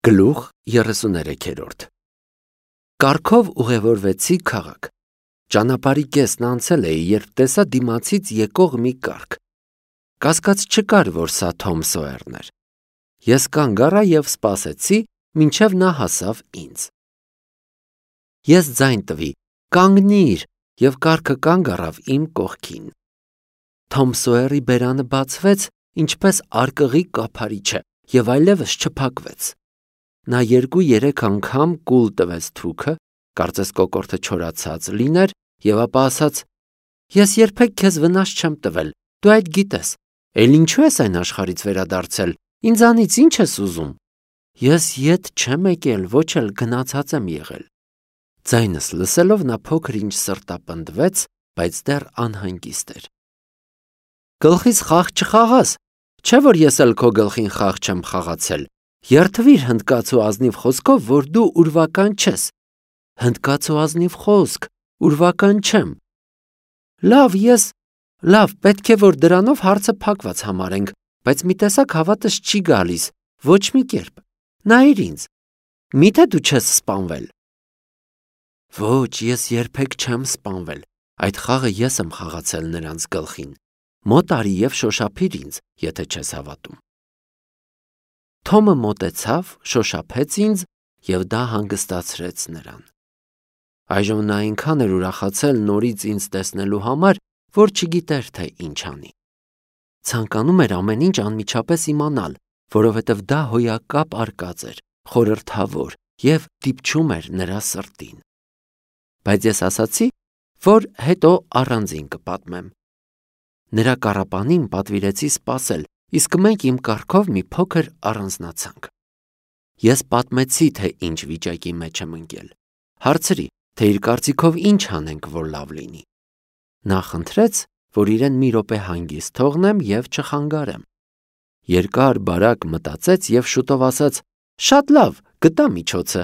Գլուխ 33 Կառքով ուղևորվեցի քաղաք։ Ճանապարհի կեսն անցել էի, երբ տեսա դիմացից եկող մի կառք։ Կասկած չկար, որ սա Թոմ Սոյերն էր։ Ես կանգ առա և սպասեցի, մինչև նա հասավ ինձ։ Ես ձայն տվի. «Կանգնիր», և կառքը կանգ առավ իմ կողքին։ Թոմ Սոյերի բերանը բացվեց, ինչպես արկղի կափարիչը, և այլևս չփակվեց։ Նա 2-3 անգամ կուլ տվեց թուքը, կարծես կոկորդը չորացած լիներ, և ապա ասաց. «Ես երբեք քեզ վնաս չեմ տվել, դու այդ գիտես, էլ ինչու ես այն աշխարհից վերադարձել, ինձանից ի՞նչ ես ուզում»։ Ես ետ չեմ եկել, ոչ էլ գնացած եմ եղել։ Ձայնս լսելով նա փոքր-ինչ սրտապնդվեց, բայց դեռ անհանգիստ էր։ «Գլխիս խաղ չխաղաս, չէ՞ որ ես էլ քո գլխին խաղ չեմ խաղացել։ Երդվիր հնդկաց ու ազնիվ խոսքով, որ դու ուրվական չես»։ Հնդկաց ու ազնիվ խոսք, ուրվական չեմ։ Լավ, պետք է որ դրանով հարցը փակված համարենք, բայց մի տեսակ հավատս չի գալիս, ոչ մի կերպ։ Նայիր ինձ, միթե դու չես սպանվել։ Ոչ, ես երբեք չեմ սպանվել, այդ խաղը ես եմ խաղացել նրանց գլխին։ Մոտ արի և շոշափիր ինձ, եթե չես հավատում։ Թոմը մոտեցավ, շոշափեց ինձ, և դա հանգստացրեց նրան։ Այժմ նա այնքան էր ուրախացել նորից ինձ տեսնելու համար, որ չգիտեր, թե ինչ անի։ Ցանկանում էր ամեն ինչ անմիջապես իմանալ, որովհետև դա հոյակապ արկած էր, խորհրդավոր և դիպչում էր նրա սրտին։ Բայց ես ասացի, որ հետո առանձին կպատմեմ։ Նրա կառապանին պատվիրեցի սպասել, իսկ մենք իմ կառքով մի փոքր առանձնացանք։ Ես պատմեցի, թե ինչ վիճակի մեջ եմ ընկել։ Հարցրի, թե իր կարծիքով ինչ անենք, որ լավ լինի։ Նա խնդրեց, որ իրեն մի րոպե հանգիստ թողնեմ և չխանգարեմ։ Երկար-բարակ մտածեց և շուտով ասաց. «Շատ լավ, գտա միջոցը։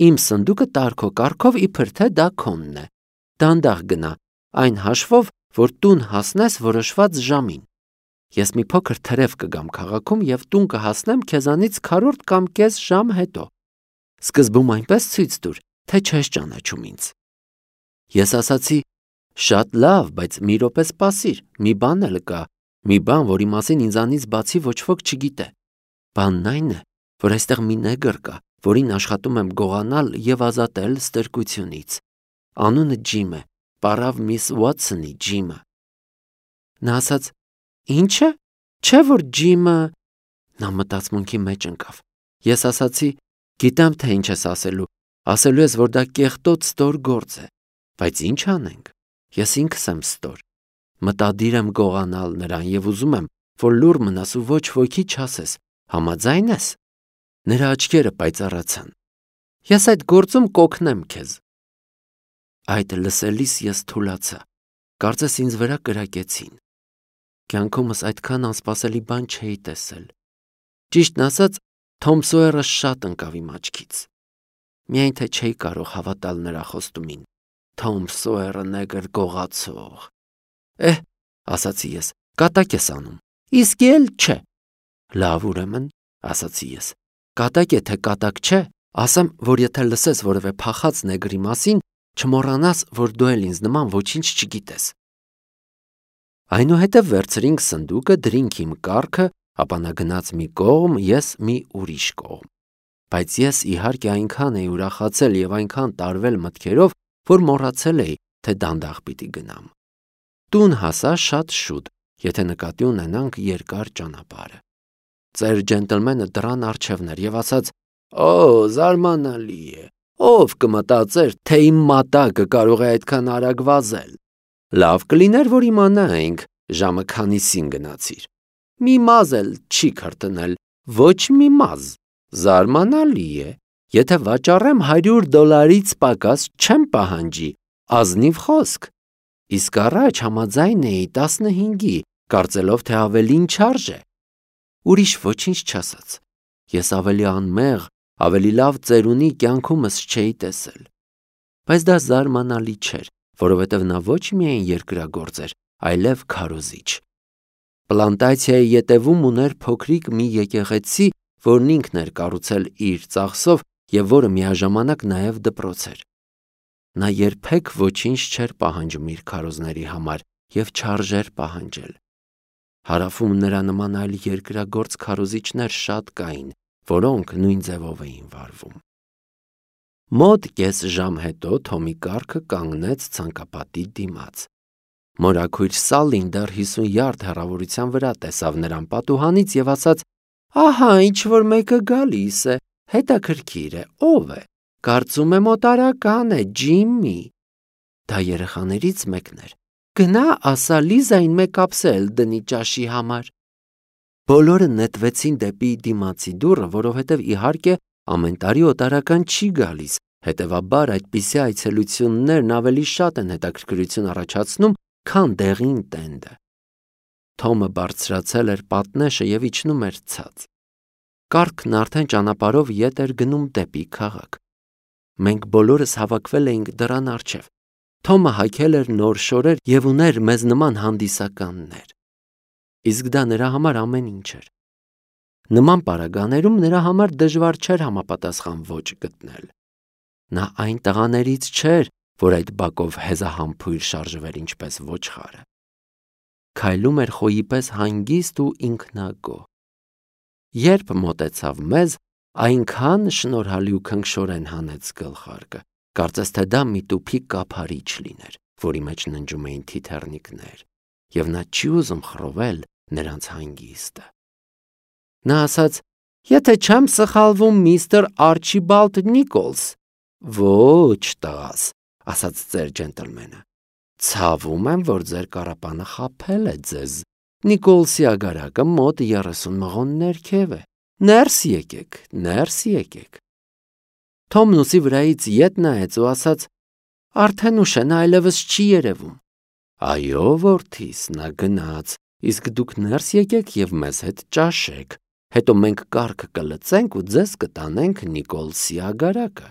Իմ սնդուկը տար քո կառքով, իբր թե դա քոնն է։ Դանդաղ գնա, այն հաշվով, որ տուն հասնես որոշված ժամին։ Ես մի փոքր թրև կգամ քաղաքում և տուն կհասնեմ քեզանից քառորդ կամ կես ժամ հետո։ Սկզբում այնպես ցույց տուր, թե չես ճանաչում ինձ»։ Ես ասացի. «Շատ լավ, բայց մի րոպե սպասիր, մի բան էլ կա, մի բան, որի մասին ինձանից բացի ոչ ոք չգիտե։ Բանն այն է, որ այստեղ մի նեգր կա, որին աշխատում եմ գողանալ և ազատել ստրկությունից։ Անունը Ջիմ է, պառավ միս Ուոթսոնի Ջիմը»։ Նա ասաց. «Ի՞նչը, չէ՞ որ Ջիմը»։ Նա մտածմունքի մեջ ընկավ։ Ես ասացի. «Գիտեմ, թե ինչ ես ասելու ես, որ դա կեղտոտ ստոր գործ է, բայց ինչ անենք, ես ինքս եմ ստոր։ Մտադիր եմ գողանալ նրան և ուզում եմ, որ լուռ մնաս ու ոչ ոքի չասես, համաձայն ես»։ Նրա աչքերը պայծառացան։ «Ես այդ գործում կօգնեմ քեզ»։ Այդ լսելիս ես թուլացա, կարծես ինձ վրա կրակեցին։ Կյանքումս այդքան անսպասելի բան չէի տեսել։ Ճիշտն ասած, Թոմ Սոյերը շատ ընկավ իմ աչքից։ Միայն թե չէի կարող հավատալ նրա խոստումին։ Թոմ Սոյերը նեգր գողացող։ Ասացի ես, կատակ ես անում։ Իսկ էլ չէ։ Լավ, ուրեմն, ասացի ես, կատակ է, թե կատակ չէ, ասեմ, որ եթե լսես որևէ փախած նեգրի մասին, չմոռանաս, որ դու էլ ինձ նման ոչինչ չգիտես։ Այնուհետև վերցրինք սնդուկը, դրինք իմ կառքը, ապա նա գնաց մի կողմ, ես մի ուրիշ կողմ։ Բայց ես իհարկե այնքան էի ուրախացել և այնքան տարվել մտքերով, որ մոռացել էի, թե դանդաղ պիտի գնամ։ Տուն հասա շատ շուտ, եթե նկատի ունենանք երկար ճանապարհը։ Ծեր ջենտլմենը դռան առջևն էր և ասաց. «Օ, զարմանալի է, ով կմտածեր, թե իմ մատակը կարող է այդքան արագ վազել։ Լավ կլիներ, որ իմանայինք, ժամը քանիսին գնացիր։ Մի մազը էլ չի քրտնել, ոչ մի մազ։ Զարմանալի է, եթե վաճառեմ $100 պակաս չեմ պահանջի, ազնիվ խոսք։ Իսկ առաջ համաձայն էի 15-ի, կարծելով, թե ավելին չարժե»։ Ուրիշ ոչինչ չասաց։ Ես ավելի անմեղ, ավելի լավ ծերունի կյանքումս չէի տեսել։ Բայց դա զարմանալի չէր, որովհետև նա ոչ միայն երկրագործ էր, այլև քարոզիչ։ Պլանտացիայի ետևում ուներ փոքրիկ մի եկեղեցի, որն ինքն էր կառուցել իր ծախսով և որը միաժամանակ նաև դպրոց էր։ Նա երբեք ոչինչ չէր պահանջում իր քարոզների համար և չարժեր պահանջել։ Հարավում նրա նման այլ երկրագործ քարոզիչներ շատ կային, որոնք նույն ձևով էին վարվում։ Մոտ կես ժամ հետո Թոմի կառքը կանգնեց ցանկապատի դիմաց։ Մորաքույր Սալլին դեռ 50 յարդ հեռավորության վրա տեսավ նրան պատուհանից և ասաց. «Ահա ինչ-որ մեկը գալիս է, հետաքրքիր է, ով է, կարծում եմ օտարական է, Ջիմմի»։ Դա երեխաներից մեկն էր։ «Գնա ասա Լիզային մեկ ափսե դնի ճաշի համար»։ Բոլորը նետվեցին դեպի դիմացի դուռը, որովհետև իհարկե ամեն տարի օտարական չի գալիս, հետևաբար այդպիսի այցելություններն ավելի շատ են հետաքրքրություն առաջացնում, քան դեղին տենդը։ Թոմը բարձրացել էր պատնեշը և իջնում էր ցած։ Կառքն արդեն ճանապարհով ետ էր գնում դեպի քաղաք։ Մենք բոլորս հավաքվել էինք դռան առջև։ Թոմը հագել էր նոր շորեր և ուներ մեզ նման հանդիսականներ։ Իսկ դա նրա համար ամեն ինչ էր։ Նման պարագաներում նրա համար դժվար չէր համապատասխան ոճ գտնել։ Նա այն տղաներից չէր, որ այդ բակով հեզահամբույր շարժվեր ինչպես ոչխարը։ Քայլում էր խոյի պես հանգիստ ու ինքնագոհ։ Երբ մոտեցավ մեզ, այնքան շնորհալի ու քնքշորեն հանեց գլխարկը, կարծես թե դա մի տուփի կափարիչ լիներ, որի մեջ ննջում էին թիթեռնիկներ, և նա չի ուզում խռովել նրանց հանգիստը։ Նա ասաց. «Եթե չեմ սխալվում, միստր Արչիբալդ Նիկոլս»։ «Ոչ, տղաս», ասաց ծեր ջենտլմենը, «ցավում եմ, որ ձեր կառապանը խաբել է ձեզ։ Նիկոլսի ագարակը մոտ 30 մղոն ներքև է։ Ներս եկեք, ներս եկեք»։ Թոմն ուսի վրայից ետ նայեց ու ասաց. «Արդեն ուշ է, նա այլևս չի երևում»։ «Այո, որդիս, նա գնաց, իսկ դուք ներս եկեք և մեզ հետ ճաշեք, հետո մենք կառքը կլցենք ու ձեզ կտանենք Նիկոլսի ագարակը»։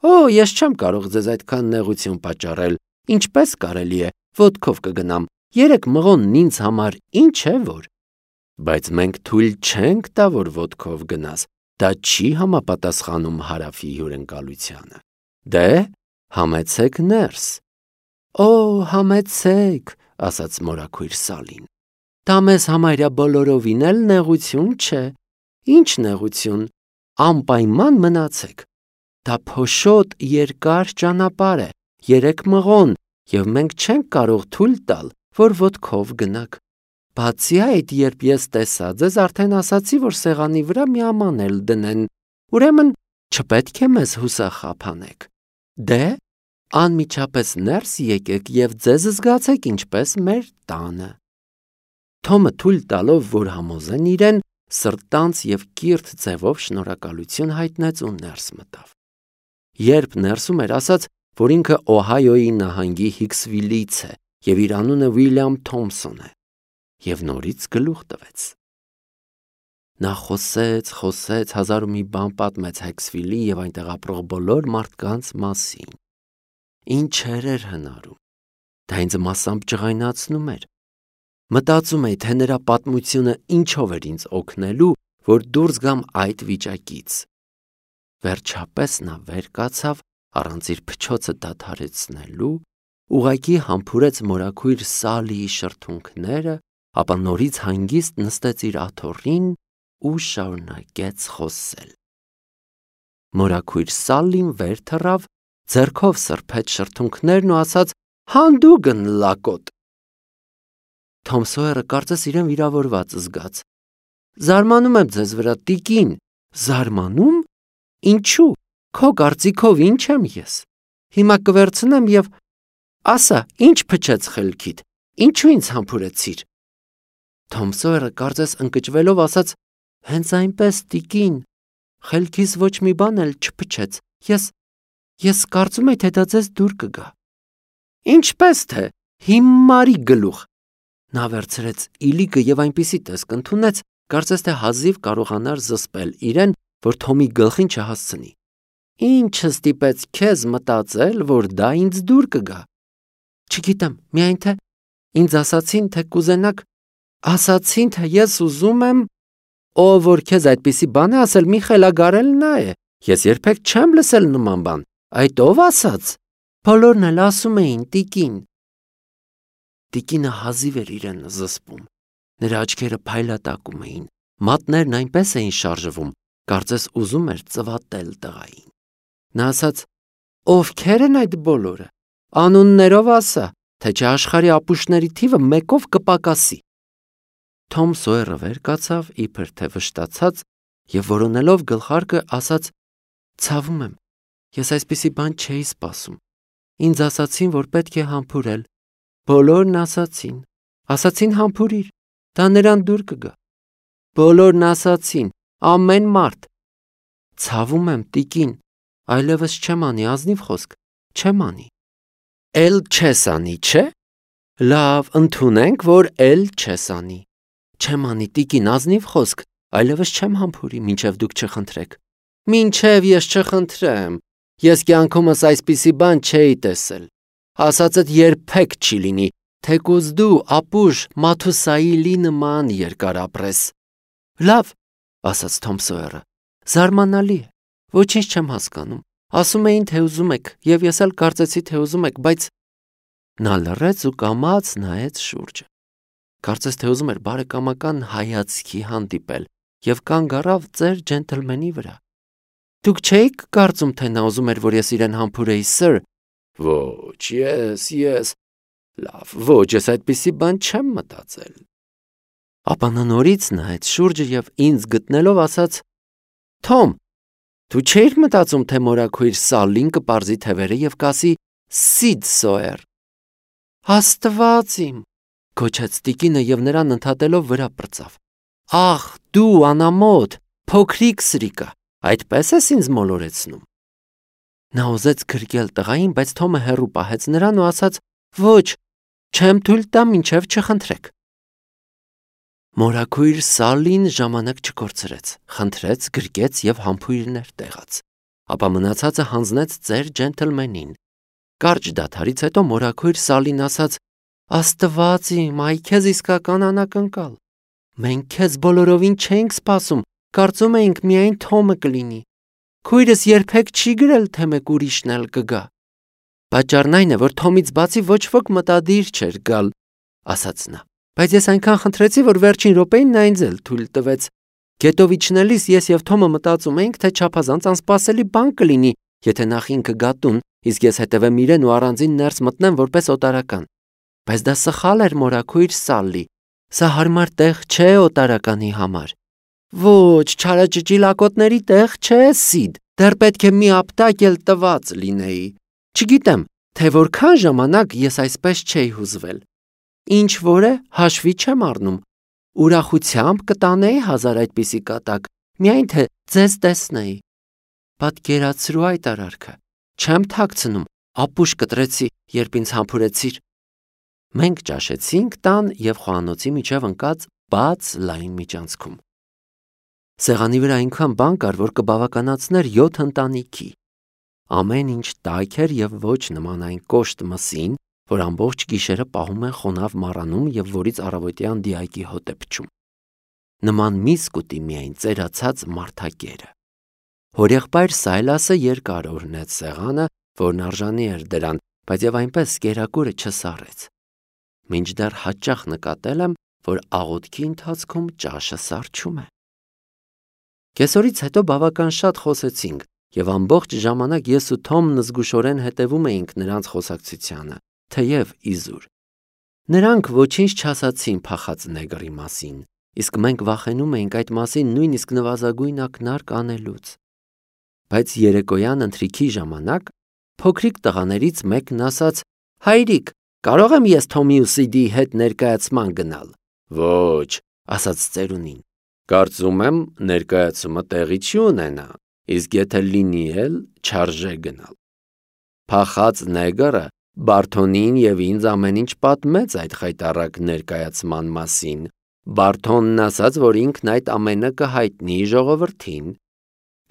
«Օ, ես չեմ կարող ձեզ այդքան նեղություն պատճառել, ինչպես կարելի է, ոտքով կգնամ, 3 մղոնն ինձ համար ինչ է որ»։ «Բայց մենք թույլ չենք տա, որ ոտքով գնաս, դա չի համապատասխանում Հարավի հյուրընկալությանը։ Դե, համեցեք ներս»։ «Օ, համեցեք», ասաց մորաքույր Սալին։ «Դա մեզ համարյա բոլորովին էլ նեղություն չէ»։ «Ինչ նեղություն, անպայման մնացեք։ Դա փոշոտ երկար ճանապարհ է, 3 մղոն, և մենք չենք կարող թույլ տալ, որ ոտքով գնաք։ Բացի այդ, երբ ես տեսա ձեզ, արդեն ասացի, որ սեղանի վրա մի աման էլ դնեն, ուրեմն չպետք է մեզ հուսախաբ անեք։ Դե, անմիջապես ներս եկեք և ձեզ զգացեք ինչպես մեր տանը»։ Թոմը թույլ տալով, որ համոզեն իրեն, սրտանց և կիրթ ձևով շնորհակալություն հայտնեց ու ներս մտավ։ Երբ ներսում էր, ասաց, որ ինքը Օհայոյի նահանգի Հիքսվիլից է և իր անունը Ուիլյամ Թոմփսոն է, և նորից գլուխ տվեց։ Նա խոսեց, հազար ու մի բան պատմեց Հիքսվիլի և այնտեղ ապրող բոլոր մարդկանց մասին։ Ինչեր էր հնարում։ Դա ինձ մասամբ ջղայնացնում էր։ Մտածում էի, թե նրա պատմությունը ինչով էր ինձ օգնելու, որ դուրս գամ այդ վիճակից։ Վերջապես նա վեր կացավ, առանց իր փչոցը դադարեցնելու, ուղղակի համբուրեց մորաքույր Սալիի շրթունքները, ապա նորից հանգիստ նստեց իր աթոռին ու շարունակեց խոսել։ Մորաքույր Սալլին վեր թռավ, ձեռքով սրբեց շրթունքներն ու ասաց. «Հանդուգն լակոտ»։ Թոմ Սոյերը կարծես իրեն վիրավորված զգաց։ «Զարմանում եմ ձեզ վրա, տիկին»։ «Զարմանում։ Ինչու։ Քո կարծիքով ինչ եմ ես։ Հիմա կվերցնեմ և ասա, ինչ փչեց խելքիդ, ինչու ինձ համբուրեցիր»։ Թոմ Սոյերը կարծես ընկճվելով ասաց. «Հենց այնպես, տիկին, խելքիս ոչ մի բան էլ չփչեց, ես կարծում էի, թե դա ձեզ դուր կգա»։ «Ինչպես թե, հիմարի գլուխ»։ Նա վերցրեց իլիկը և այնպիսի տեսք ընդունեց, կարծես թե հազիվ կարողանար զսպել իրեն, որ Թոմի գլխին չհասցնի։ «Ի՞նչը ստիպեց քեզ մտածել, որ դա ինձ դուր կգա»։ «Չգիտեմ, միայն թե ինձ ասացին, թե կուզենաք, ասացին, թե ես ուզում եմ»։ Ով որ քեզ այդպիսի բան է ասել, մի խելագարել նա է։ Ես երբեք չեմ լսել նման բան։ Այդ ով ասաց։ Բոլորն էլ ասում էին տիկին։ Տիկինը հազիվ էր իրեն զսպում։ Նրա աչքերը փայլատակում էին, մատներն այնպես էին շարժվում, կարծես ուզում էր ծվատել տղային։ Նա ասաց. Ովքեր են այդ բոլորը։ Անուններով ասա, թե չէ աշխարհի ապուշների թիվը մեկով կպակասի։ Թոմ Սոյերը վեր կացավ, իբր թե վշտացած, եւ որոնելով գլխարկը ասաց. Ցավում եմ, ես այսպիսի բան չէի սպասում։ Ինձ ասացին, որ պետք է համբուրել։ Բոլորն ասացին համբուրիր, դա նրան դուր կգա։ Բոլորն ասացին, ամեն մարդ։ Ցավում եմ, տիկին, այլևս չեմ անի, ազնիվ խոսք, չեմ անի։ Էլ չես անի, չէ՞։ Լավ, ընդունենք, որ էլ չես անի։ Չեմ անի, տիկին, ազնիվ խոսք, այլևս չեմ համբուրի, մինչև դուք չխնդրեք։ Մինչև ես չխնդրեմ, ես կյանքումս այսպիսի բան չէի տեսել։ Ասածդ երբեք չի լինի, թեկուզ դու ապուշ Մաթուսայիլի նման երկար ապրես։ Լավ, ասաց Թոմ Սոյերը, զարմանալի է, ոչինչ չեմ հասկանում։ Ասում էին, թե ուզում եք, եւ ես էլ կարծեցի, թե ուզում եք, բայց նա լռեց ու կամաց նայեց շուրջը։ Կարծես թե ուզում էր բարեկամական հայացքի հանդիպել եւ կանգ առավ ծեր ջենթլմենի վրա։ Դուք չէիք կարծում, թե նա ուզում էր, որ ես իրեն համբուրեի, սըր։ Ոչ, ես։ Լավ, ոչ, ես այդպիսի բան չեմ մտածել։ Ապա նա նորից նայեց շուրջը եւ ինձ գտնելով ասաց. Թոմ, դու չէիր մտածում, թե մորաքույր Սալլին կպարզի թևերը եւ կասի Սիդ Սոյեր։ Աստված իմ, գոչեց տիկինը եւ նրան ընդհատելով վրա պրծավ։ Ախ, դու անամոթ, փոքրիկ սրիկա, այդպես ես ինձ մոլորեցնում։ Նա ուզեց գրկել տղային, բայց Թոմը հեռու պահեց նրան ու ասաց. Ոչ, չեմ թույլ տա, մինչև չխնդրեք։ Մորաքույր Սալլին ժամանակ չկորցրեց, խնդրեց, գրկեց եւ համբույրներ տեղաց։ Ապա մնացածը հանձնեց ծեր ջենթլմենին։ Կարճ դադարից հետո մորաքույր Սալլին ասաց. Աստված իմ, այ քեզ իսկական անակնկալ։ Մենք քեզ բոլորովին չենք սպասում, կարծում էինք միայն Թոմը կլինի։ Քույրս երբեք չի գրել, թե մեկ ուրիշն էլ կգա։ Պատճառն այն է, որ Թոմից բացի ոչ ոք մտադիր չէր գալ, ասաց նա։ Բայց ես այնքան խնդրեցի, որ վերջին րոպեին նա ինձ էլ թույլ տվեց։ Գետով իջնելիս ես եւ Թոմը մտածում էինք, թե չափազանց անսպասելի բան կլինի, եթե նախ ինքը գա տուն, իսկ ես հետևեմ իրեն ու առանձին ներս մտնեմ որպես օտարական։ Բայց դա սխալ էր, մորաքույր Սալլի։ Սա հարմար տեղ չէ օտարականի համար։ Ոչ, չարաճճիլակոտների տեղ չէ, Սիդ։ Դեռ պետք է մի ապտակ էլ տված լինեի։ Չգիտեմ, թե որքան ժամանակ ես այսպես չէի հուզվել։ Ինչ որ է, հաշվի չեմ առնում։ Ուրախությամբ կտանեի 1000 այդպիսի կատակ, միայն թե ձեզ տեսնեի։ Պատկերացրու այդ արարքը։ Չեմ թաքցնում, ապուշ կտրեցի, երբ ինձ համբուրեցիր։ Մենք ճաշեցինք տան եւ խոհանոցի միջև ընկած բաց լայն միջանցքում։ Սեղանի վրա այնքան բան կար, որ կբավականացներ 7 ընտանիքի։ Ամեն ինչ տաք էր եւ ոչ նման այն կոշտ մսին, որ ամբողջ գիշերը պահում են խոնավ մառանում եւ որից առավոտյան դիակի հոտ է փչում։ Նման միս կուտի միայն ծերացած մարդակերը։ Հորեղբայր Սայլասը երկար օրնեց սեղանը, որն արժանի էր դրան, բայց եւ այնպես կերակուրը չսառեց։ Մինչդեռ հաճախ նկատել եմ, որ աղոթքի ընթացքում ճաշը սառչում է։ Կեսօրից հետո բավական շատ խոսեցինք, եւ ամբողջ ժամանակ ես ու Թոմն զգուշորեն հետևում էինք նրանց խոսակցությանը, թեև իզուր։ Նրանք ոչինչ չասացին փախած նեգրի մասին, իսկ մենք վախենում էինք այդ մասին նույնիսկ նվազագույն ակնարկ անելուց։ Բայց երեկոյան ընթրիքի ժամանակ փոքրիկ տղաներից մեկն ասաց. Հայրիկ, կարող եմ ես Թոմի ու Սիդի հետ ներկայացման գնալ։ Ոչ, ասաց ծերունին։ Կարծում եմ ներկայացումը տեղի չի ունենա, իսկ եթե լինի էլ չարժե գնալ։ Փախած նեգրը Բարթոնին եւ ինձ ամեն ինչ պատմեց այդ խայտառակ ներկայացման մասին։ Բարթոնն ասաց, որ ինքն այդ ամենը կհայտնի ժողովրդին։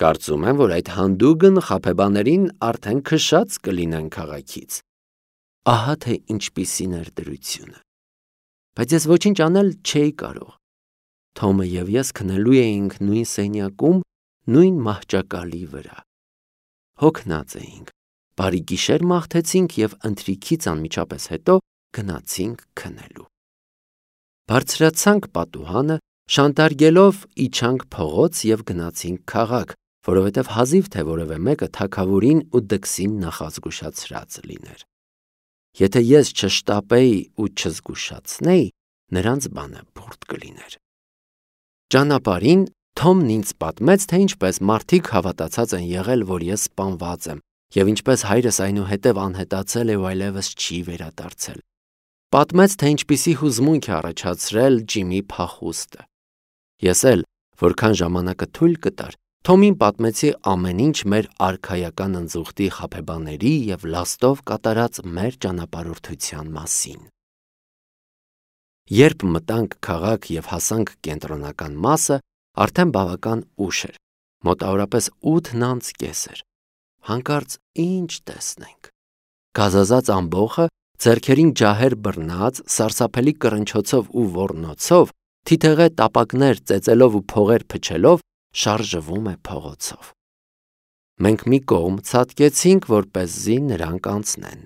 Կարծում եմ, որ այդ հանդուգն խաբեբաներին արդեն քշած կլինեն քաղաքից։ Ահա թե ինչպիսին էր դրությունը։ Բայց ես ոչինչ անել չէի կարող։ Թոմը եւ ես քնելու էինք նույն սենյակում, նույն մահճակալի վրա։ Հոգնած էինք, բարի գիշեր մաղթեցինք եւ ընթրիքից անմիջապես հետո գնացինք քնելու։ Բարձրացանք պատուհանը, շանտարգելով իջանք փողոց եւ գնացինք քաղաք, որովհետեւ հազիվ թե որևէ մեկը թագավորին ու դքսին նախազգուշացրած լիներ։ Եթե ես չշտապեի ու չզգուշացնեի, նրանց բանը բուրդ կլիներ։ Ճանապարհին Թոմն ինձ պատմեց, թե ինչպես մարդիկ հավատացած են եղել, որ ես սպանված եմ, եւ ինչպես հայրս այնուհետև անհետացել է ու այլևս չի վերադարձել։ Պատմեց, թե ինչպիսի հուզմունք է առաջացրել Ջիմի փախուստը։ Ես էլ, որքան ժամանակը թույլ կտար, Թոմին պատմեցի ամեն ինչ մեր արքայական ընձուղտի խաբեբաների եւ լաստով կատարած մեր ճանապարհորդության մասին։ Երբ մտանք քաղաք եւ հասանք կենտրոնական մասը, արդեն բավական ուշ էր, մոտավորապես 8:30 էր։ Հանկարծ ինչ տեսնենք։ Գազազած ամբոխը, ձեռքերին ջահեր բռնած, սարսափելի կռնչոցով ու ոռնոցով, թիթեղե տապակներ ծեծելով ու փողեր փչելով, շարժվում է փողոցով։ Մենք մի կողմ ցատկեցինք, որպեսզի նրանք անցնեն։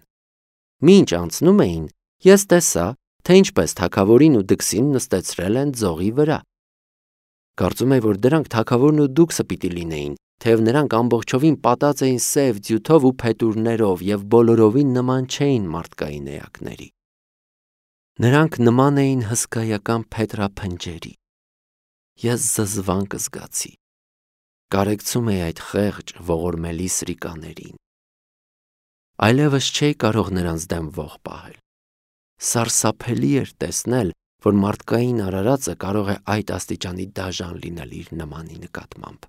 Մինչ անցնում էին, ես տեսա, թե ինչպես թագավորին ու դքսին նստեցրել են ձողի վրա։ Կարծում եմ, որ դրանք թագավորն ու դուքսը պիտի լինեին, թեև նրանք ամբողջովին պատած էին սև ձյութով ու փետուրներով եւ բոլորովին նման չէին մարդկային էակների։ Նրանք նման էին հսկայական փետրափնջերի։ Ես զզվանք զգացի։ Կարեկցում էի այդ խեղճ ողորմելի սրիկաներին։ Այլևս չէի կարող նրանց դեմ ող պահել։ Սարսափելի էր տեսնել, որ մարդկային արարածը կարող է այդ աստիճանի դաժան լինել իր նմանի նկատմամբ։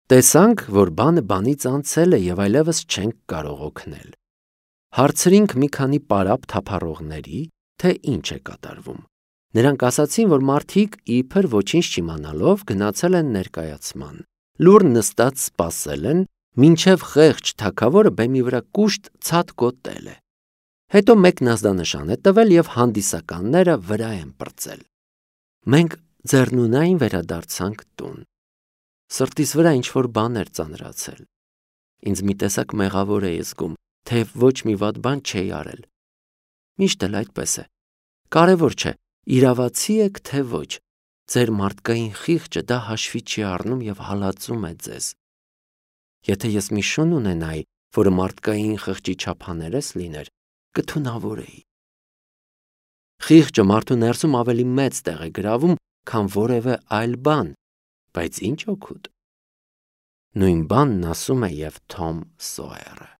Տեսանք, որ բանը բանից անցել է եւ այլևս չենք կարող օգնել։ Հարցրինք մի քանի պարապ թափառողների, թե ինչ է կատարվում։ Նրանք ասացին, որ մարդիկ իբր ոչինչ չիմանալով գնացել են ներկայացման, լուռ նստած սպասել են, մինչև խեղճ թագավորը բեմի վրա կուշտ ցած գոտել է։ Հետո մեկն ազդանշան է տվել եւ հանդիսականները վրա են պրծել։ Մենք ձեռնունայն վերադարձանք տուն։ Սրտիս վրա ինչ-որ բան էր ծանրացել։ Ինձ մի տեսակ մեղավոր էի զգում, թեև ոչ մի վատ բան չէի արել։ Միշտ էլ այդպես է։ Կարևոր չէ, իրավացի եք թե ոչ, ձեր մարդկային խիղճը դա հաշվի չի առնում եւ հալածում է ձեզ։ Եթե ես մի շուն ունենայի, որը մարդկային խղճի չափաներես լիներ, կթունավորեի։ Խիղճը մարդու ներսում ավելի մեծ տեղ է գրավում, քան որևէ այլ բան, բայց ինչ օգուտ։ Նույն բանն ասում է եւ Թոմ Սոյերը։